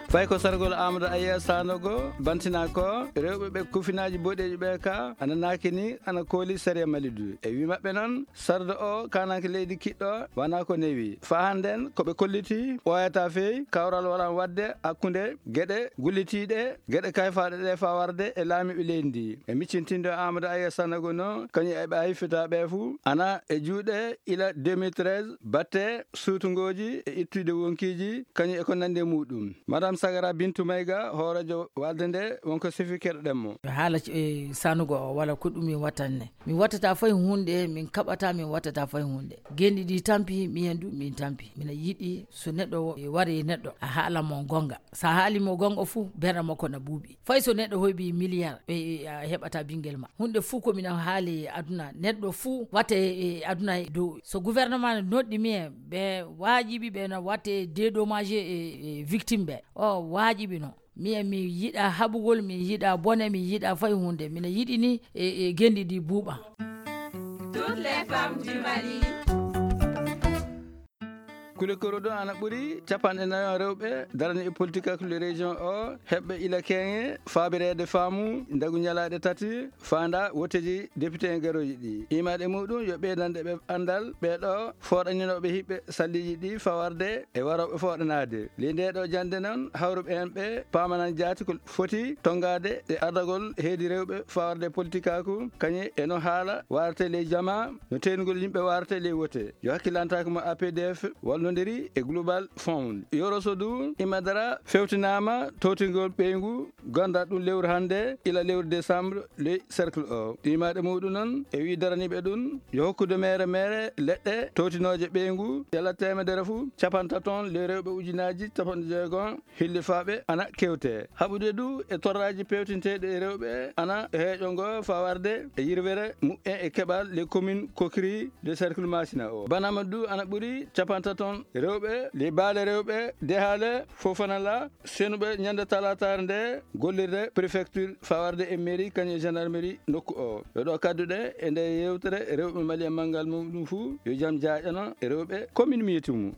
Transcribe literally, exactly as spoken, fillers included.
Fay ko sargol Amadou Aya Sanogo bantina ko rewɓe ɓe kufinaaji boɗeeji ɓe ka ana naaki ni ana kooli sariya Mali du. E wi maɓɓe noon, sarde o kananke leydi kiɗɗo wana ko newi. Fa hannden ko ɓe kolliti ɓooyata fey kawral walan waɗde hakkunde geɗe gullitiiɗe, geɗe kayfaaɗe ɗe fa warde e laamiiɓe leydi ndi. E miccintindo Amadou Aya Sanogo no kañum e ɓe a hiffita ɓe fuu ana e juuɗe ila deux mille treize batte suutungooji e ittude wonkiiji kañum e ko nandi e muɗum. Madame Sagara Bintou Maïga, hooreejo walde nde, wonko sifi keɗoɗen mo. Haala, e, Sanogo o wala ko ɗum mi wattanne. Mi wattata fay hunde, min kaɓata, min wattata fay hunde. Gendi ɗi tampi, miyen du min tampi. Mina yiɗi so neɗɗo o, e, wari e neɗɗo, a haala mo gonga. Sa haali mo gonga fuu, berɗe makko na buuɓi. Fay so neɗɗo hoybi milliard, e, e, a heɓata bingel ma. Hunde fuu ko mina haali e aduna. Neɗɗo fuu watte e aduna e dow. So gouvernement ne noɗɗi mi e ɓe waajibi ɓe na watte dédommagé e, e victime ɓe. O waajibi no. Mi e mi yiɗa haɓugol, mi yiɗa bone, mi yiɗa fay hunde. Mina yiɗi ni e, e gendi ɗi buuɓa. Toutes les femmes du Mali. Kule koro ɗo ana ɓuri capanɗe nayo rewɓe darani e politique ak le région o heɓɓe ila keŋe faabireede faamu ndagu ñalaaɗe tati faanda woteji député en garoji ɗi. Imaɗe muɗum yo ɓeydanɗe ɓe anndal ɓeɗo fooɗaninooɓe hiɓɓe salliji ɗi fawarde e warooɓe fooɗanaade. Ley nde ɗo jannde noon, hawruɓe heen ɓe paamanan jaati ko foti tonngaade e ardagol heedi rewɓe fawarde politikaku, kañum e no haala warate ley jama, no teynugol yimɓe warate ley wote. Yo hakkilantaake mo A P D F wallondiri e Global Fund. Yoroso du imadara fewtinaama towtingol ɓeyngu, gonda ɗum lewru hannde ila lewru décembre ley cercle o. Ɗimaɗe muɗum noon e wi daraniɓe ɗum yo hokkude mere mere leɗɗe towtinoje ɓeyngu, yala temedere fuu capantato ley rewɓe ujunaji capanɗe jeego hillifaaɓe ana kewte. Haɓude du e torraji pewtinteɗi e rewɓe ana heeƴo ngo fawarde e yirwere muɓɓen e keɓal les communes kokri de cercle Masina o. Banama du ana ɓuri capantato rewɓe les baale rewɓe dehale Fofana la senuɓe ñande talataare nde gollirde préfecture fawarde e mairie kañum e gendarmerie nokku o. Yo ɗo kadduɗe e nde yewtere rewɓe Mali e manngal muɗum fuu yo jam jaaƴano e rewɓe commune Miyetimu.